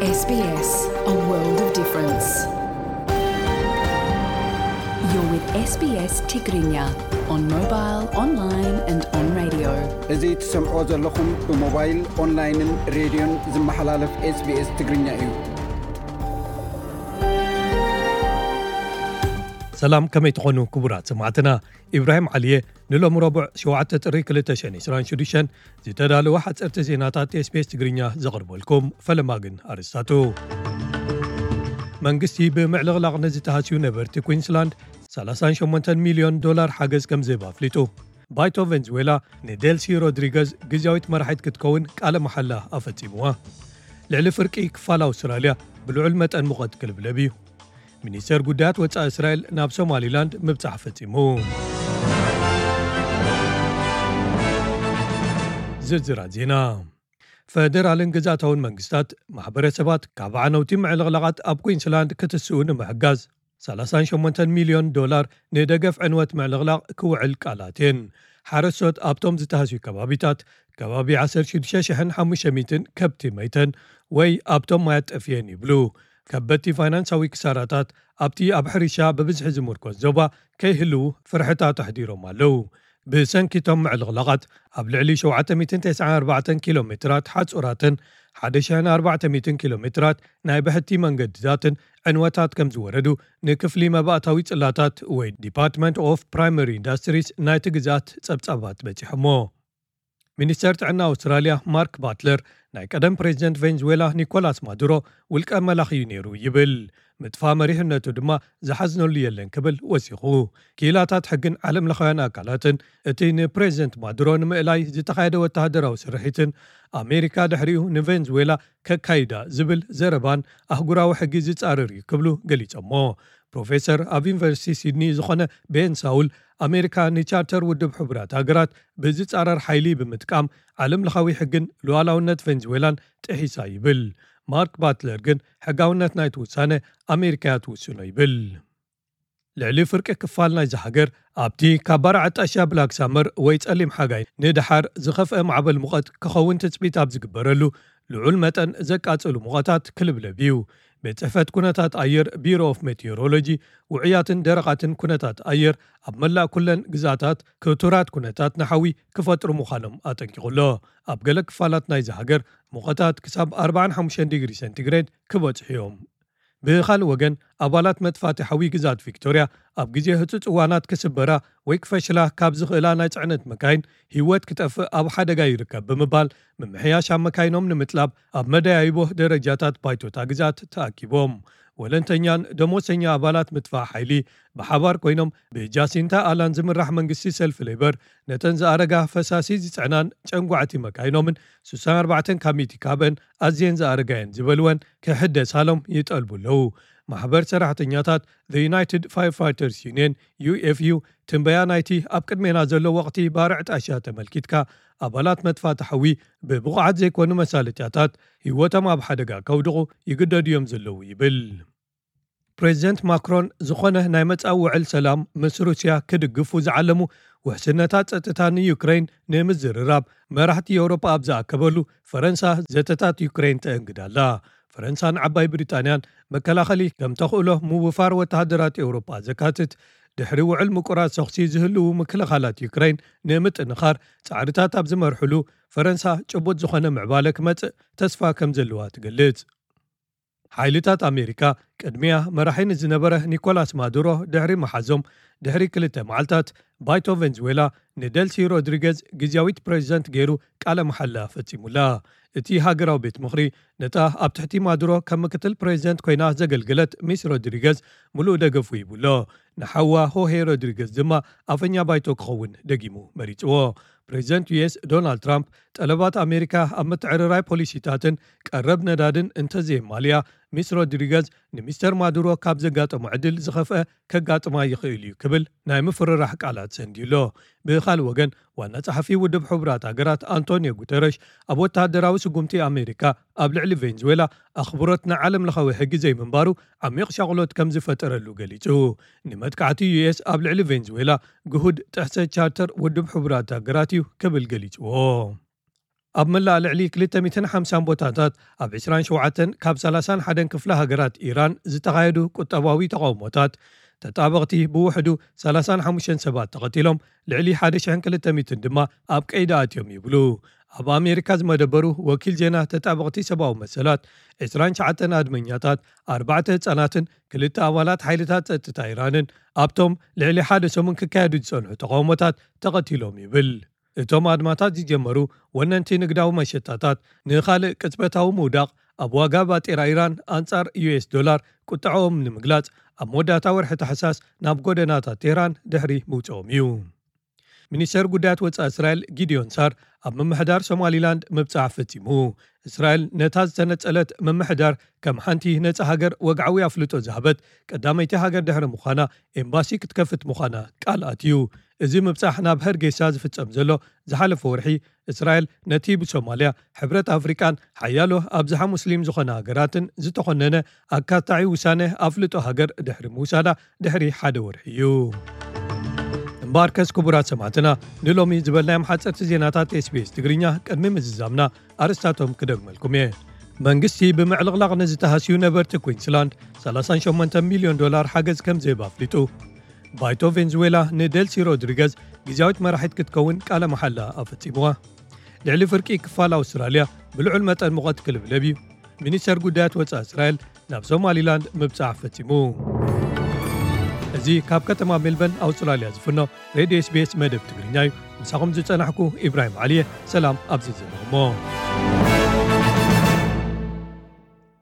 S B S, a world of difference. You're with S B S Tigrinya on mobile, online and on radio. እዚ ትሰምዖ ዘለኹም ብሞባይል፣ ኦንላይንን ሬድዮን ዝመሓላለፍ SBS ትግርኛ እዩ። ሰላም፣ ከመይ ትኾኑ ክቡራት ሰማዕትና? ኢብራሂም ዓሊየ ንሎሚ ረቡዕ ሸውዓተ ጥሪ ክልተ ሽሕን ዕስራን ሽዱሽተን ዝተዳለወ ሓፀርቲ ዜናታት SBS ትግርኛ ዘቕርበልኩም። ፈለማ ግን ኣርስታቱ። መንግስቲ ብምዕልቕላቕ ንዝተሃስዩ ነበርቲ ኩዊንስላንድ ሰላሳን ሸሞንተን ሚልዮን ዶላር ሓገዝ ከም ዝህብ ኣፍሊጡ። ባይቶ ቬንዙዌላ ንዴልሲ ሮድሪገዝ ግዝያዊት መራሒት ክትከውን ቃለ መሓላ ኣፈጺምዋ። ልዕሊ ፍርቂ ክፋል ኣውስትራልያ ብልዑል መጠን ሙቐት ክልብለብ እዩ። ሚኒስተር ጉዳያት ወጻኢ እስራኤል ናብ ሶማሊላንድ ምብጻሕ ፈጺሙ። ዝርዝራት ዜና። ፈደራልን ግዝኣታውን መንግስታት ማሕበረሰባት ካብ ዓነውቲ ምዕልቕላቓት ኣብ ኩዊንስላንድ ክትስኡ ንምሕጋዝ ሰላሳን ሸሞንተን ሚልዮን ዶላር ንደገፍ ዕንወት ምዕልቕላቕ ክውዕል ቃል ኣትየን። ሓረስቶት ኣብቶም ዝተሃስዩ ከባቢታት ከባቢ ዓሰርተ ሽዱሽተ ሽሕን ሓሙሽተ ሚእትን ከብቲ መይተን ወይ ኣብቶም ማያት ጠፍየን ይብሉ። ከበድቲ ፋይናንሳዊ ክሳራታት ኣብቲ ኣብ ሕርሻ ብብዝሒ ዝምርኮስ ዞባ ከይህልዉ ፍርሕታት ኣሕዲሮም ኣለዉ። ብሰንኪ እቶም ምዕልቕላቓት ኣብ ልዕሊ ሸውዓተ ሚእትን ተስዓን ኣርባዕተን ኪሎ ሜትራት ሓጹራትን ሓደ ሽሕን ኣርባዕተ ሚእትን ኪሎ ሜትራት ናይ ብሕቲ መንገድታትን ዕንወታት ከም ዝወረዱ ንክፍሊ መባእታዊ ጽላታት ወይ ዲፓርትመንት ኦፍ ፕራይመሪ ኢንዳስትሪስ ናይቲ ግዝኣት ጸብጻባት በጺሖሞ። ሚኒስተር ጥዕና ኣውስትራልያ ማርክ ባትለር ናይ ቀደም ፕሬዚደንት ቬንዙዌላ ኒኮላስ ማዱሮ ውልቀ መላኺ እዩ ነይሩ ይብል። ምጥፋእ መሪሕነቱ ድማ ዝሓዝነሉ የለን ክብል ወሲኹ። ክኢላታት ሕግን ዓለም ለኻውያን ኣካላትን እቲ ንፕሬዚደንት ማዱሮ ንምእላይ ዝተኻየደ ወተሃደራዊ ስርሒትን ኣሜሪካ ድሕሪኡ ንቬንዙዌላ ከካይዳ ዝብል ዘረባን ኣህጉራዊ ሕጊ ዝጻረር እዩ ክብሉ ገሊጾሞ። ፕሮፌሰር ኣብ ዩኒቨርሲቲ ሲድኒ ዝኾነ ቤን ሳውል ኣሜሪካ ንቻርተር ውድብ ሕቡራት ሃገራት ብዝጻረር ሓይሊ ብምጥቃም ዓለም ለኻዊ ሕግን ሉዓላውነት ቬንዙዌላን ጥሒሳ ይብል። ማርክ ባትለር ግን ሕጋውነት ናይቲ ውሳነ ኣሜሪካ እያ ትውስኖ ይብል። ልዕሊ ፍርቂ ክፋል ናይዚ ሃገር ኣብቲ ካብ ባርዕ ኣጣሻ ብላክ ሳመር ወይ ጸሊም ሓጋይ ንደሓር ዝኸፍአ ማዕበል ሙቐት ክኸውን ትጽቢት ኣብ ዝግበረሉ ልዑል መጠን ዘቃጽሉ ሙቐታት ክልብለብ እዩ። ቤት ጽሕፈት ኩነታት ኣየር ቢሮ ኦፍ ሜቴዎሮሎጂ ውዑያትን ደረቓትን ኩነታት ኣየር ኣብ መላእ ኩለን ግዛታት ክቱራት ኩነታት ንሓዊ ክፈጥሩ ምዃኖም ኣጠንቂቑ ኣሎ። ኣብ ገለ ክፋላት ናይዚ ሃገር ሙቐታት ክሳብ ኣርባዓን ሓሙሽተን ዲግሪ ሴንቲግሬድ ክበጽሑ እዮም። ብኻልእ ወገን ኣባላት መጥፋእቲ ሓዊ ግዛት ቪክቶርያ ኣብ ግዜ ህጹጽ እዋናት ክስበራ ወይ ክፈሽላ ካብ ዝኽእላ ናይ ጽዕነት መካይን ህይወት ክጠፍእ ኣብ ሓደጋ ይርከብ ብምባል ምምሕያሽ ኣብ መካይኖም ንምጥላብ ኣብ መደያይቦ ደረጃታት ባይቶታ ግዛት ተኣኪቦም። ወለንተኛን ደሞዝተኛ ኣባላት ምጥፋእ ሓይሊ ብሓባር ኮይኖም ብጃሲንታ ኣላን ዝምራሕ መንግስቲ ሰልፊ ሌበር ነተን ዝኣረጋ ፈሳሲ ዝጽዕናን ጨንጓዕቲ መካይኖምን ስሳን ኣርባዕተን ካብ ሚእቲ ካብአን ኣዝየን ዝኣረጋየን ዝበልወን ክሕደሳሎም ይጠልቡ ኣለዉ። ማሕበር ሰራሕተኛታት The United Firefighters Union, ዩ ኤፍ ዩ፣ ትንበያ ናይቲ ኣብ ቅድሜና ዘሎ ወቕቲ ባርዕ ጣሻ ተመልኪትካ ኣባላት መጥፋእቲ ሓዊ ብብቑዓት ዘይኮኑ መሳለጥያታት ህይወቶም ኣብ ሓደጋ ከውድቑ ይግደዱ እዮም ዘለዉ ይብል። ፕሬዚደንት ማክሮን ዝኾነ ናይ መጻኢ ውዕል ሰላም ምስ ሩስያ ክድግፉ ዝዓለሙ ውሕስነታት ጸጥታ ንዩክሬን ንምዝርራብ መራሕቲ ኤውሮጳ ኣብ ዝኣከበሉ ፈረንሳ ዘተታት ዩክሬን ተእንግድ ኣላ። ፈረንሳን ዓባይ ብሪጣንያን መከላኸሊ ከም ተኽእሎ ምውፋር ወተሃደራት ኤውሮጳ ዘካትት ድሕሪ ውዕል ምቁራጽ ተኹሲ ዝህልዉ ምክልኻላት ዩክሬን ንምጥንኻር ጻዕርታት ኣብ ዝመርሕሉ ፈረንሳ ጭቡጥ ዝኾነ ምዕባለ ክመጽእ ተስፋ ከም ዘለዋ ትገልጽ። ሓይልታት ኣሜሪካ ቅድሚያ መራሒ ንዝነበረ ኒኮላስ ማዱሮ ድሕሪ መሓዞም ድሕሪ ክልተ መዓልታት ባይቶ ቬንዙዌላ ንደልሲ ሮድሪገዝ ግዝያዊት ፕሬዚደንት ገይሩ ቃለ መሓላ ፈጺሙላ። እቲ ሃገራዊ ቤት ምኽሪ ነታ ኣብ ትሕቲ ማዱሮ ከም ምክትል ፕሬዚደንት ኮይና ዘገልገለት ሚስ ሮድሪገዝ ምሉእ ደገፉ ሂቡሎ። ንሓዋ ሆሄ ሮድሪገዝ ድማ ኣፈኛ ባይቶ ክኸውን ደጊሙ መሪጽዎ። ፕሬዚደንት ዩ ኤስ ዶናልድ ትራምፕ ጠለባት ኣሜሪካ ኣብ ምትዕርራይ ፖሊሲታትን ቀረብ ነዳድን እንተዘየማልያ፣ ሚስ ሮድሪገዝ ንሚስተር ማዱሮ ካብ ዘጋጠሞ ዕድል ዝኸፍአ ከጋጥማ ይኽእል እዩ ክብል ናይ ምፍርራሕ ቃላት ሰንድዩ ኣሎ። ብኻልእ ወገን፣ ዋና ጸሓፊ ውድብ ሕቡራት ሃገራት ኣንቶኒዮ ጉተረሽ ኣብ ወተሃደራዊ ስጉምቲ ኣሜሪካ ኣብ ልዕሊ ቬንዙዌላ ኣኽብሮት ንዓለም ለኻዊ ሕጊ ዘይምንባሩ ዓሚቕ ሻቕሎት ከም ዝፈጠረሉ ገሊጹ። ንመጥቃዕቲ ዩ ኤስ ኣብ ልዕሊ ቬንዙዌላ ግሁድ ጥሕሰት ቻርተር ውድብ ሕቡራት ሃገራት እዩ ክብል ገሊጽዎ። ኣብ መላእ ልዕሊ ክልተ ሚእትን ሓምሳን ቦታታት ኣብ ዕስራን ሸውዓተን ካብ ሰላሳን ሓደን ክፍለ ሃገራት ኢራን ዝተኻየዱ ቁጠባዊ ተቓውሞታት፣ ተጣበቕቲ ብውሕዱ ሰላሳን ሓሙሽተን ሰባት ተቐቲሎም፣ ልዕሊ ሓደ ሽሕን ክልተ ሚእትን ድማ ኣብ ቀይዲ ኣትዮም ይብሉ ኣብ ኣሜሪካ ዝመደበሩ ወኪል ዜና ተጣበቕቲ ሰብኣዊ መሰላት። ዕስራን ትሽዓተን ኣድመኛታት፣ ኣርባዕተ ህጻናትን ክልተ ኣባላት ሓይልታት ጸጥታ ኢራንን ኣብቶም ልዕሊ ሓደ ሰሙን ክካየዱ ዝጸንሑ ተቓውሞታት ተቐቲሎም ይብል። እቶም ኣድማታት ዝጀመሩ ወነንቲ ንግዳዊ መሸጣታት ንኻልእ ቅጽበታዊ ምውዳቕ ኣብ ዋጋ ባጤራ ኢራን ኣንጻር ዩ ኤስ ዶላር ቁጥዐኦም ንምግላጽ ኣብ መወዳእታ ወርሒ ታሕሳስ ናብ ጎደናታት ቴህራን ድሕሪ ምውጽኦም እዩ። ሚኒስተር ጉዳያት ወጻኢ እስራኤል ጊዲዮን ሳር ኣብ ምምሕዳር ሶማሊላንድ ምብጻሕ ፈጺሙ። እስራኤል ነታ ዝተነጸለት ምምሕዳር ከም ሓንቲ ነጻ ሃገር ወግዓዊ ኣፍልጦ ዝሃበት ቀዳመይቲ ሃገር ድሕሪ ምዃና፣ ኤምባሲ ክትከፍት ምዃና ቃል ኣትዩ። እዚ ምብጻሕ ናብ ሀርጌሳ ዝፍጸም ዘሎ ዝሓለፈ ወርሒ፣ እስራኤል ነቲ ብሶማልያ፣ ሕብረት ኣፍሪቃን ሓያሎ ኣብዝሓ ሙስሊም ዝኾነ ሃገራትን ዝተኾነነ ኣካታዒ ውሳነ ኣፍልጦ ሃገር ድሕሪ ምውሳዳ ድሕሪ ሓደ ወርሒ እዩ። እምበኣርከስ ክቡራት ሰማዕትና፣ ንሎሚ ዝበልናዮም ሓጸርቲ ዜናታት ኤስ ቢ ኤስ ትግርኛ ቅድሚ ምዝዛምና ኣርእስታቶም ክደግመልኩም እየ። መንግስቲ ብምዕልቕላቕ ንዝተሃስዩ ነበርቲ ኩዊንስላንድ ሰላሳን ሸሞንተን ሚልዮን ዶላር ሓገዝ ከም ዝህብ ኣፍሊጡ። ባይቶ ቬንዙዌላ ንደልሲ ሮድሪገዝ ግዝያዊት መራሒት ክትከውን ቃለ መሓላ ኣፈጺምዋ። ልዕሊ ፍርቂ ክፋል ኣውስትራልያ ብልዑል መጠን ሙቐት ክልብለብ እዩ። ሚኒስተር ጉዳያት ወጻኢ እስራኤል ናብ ሶማሊላንድ ምብጻሕ ፈጺሙ። እዚ ካብ ከተማ ሜልበርን ኣውስትራልያ ዝፍኖ ሬድዮ ኤስ ቢ ኤስ መደብ ትግርኛ እዩ። ምሳኹም ዝጸናሕኩ ኢብራሂም ዓሊየ። ሰላም ኣብዚ ዘለኹሞ።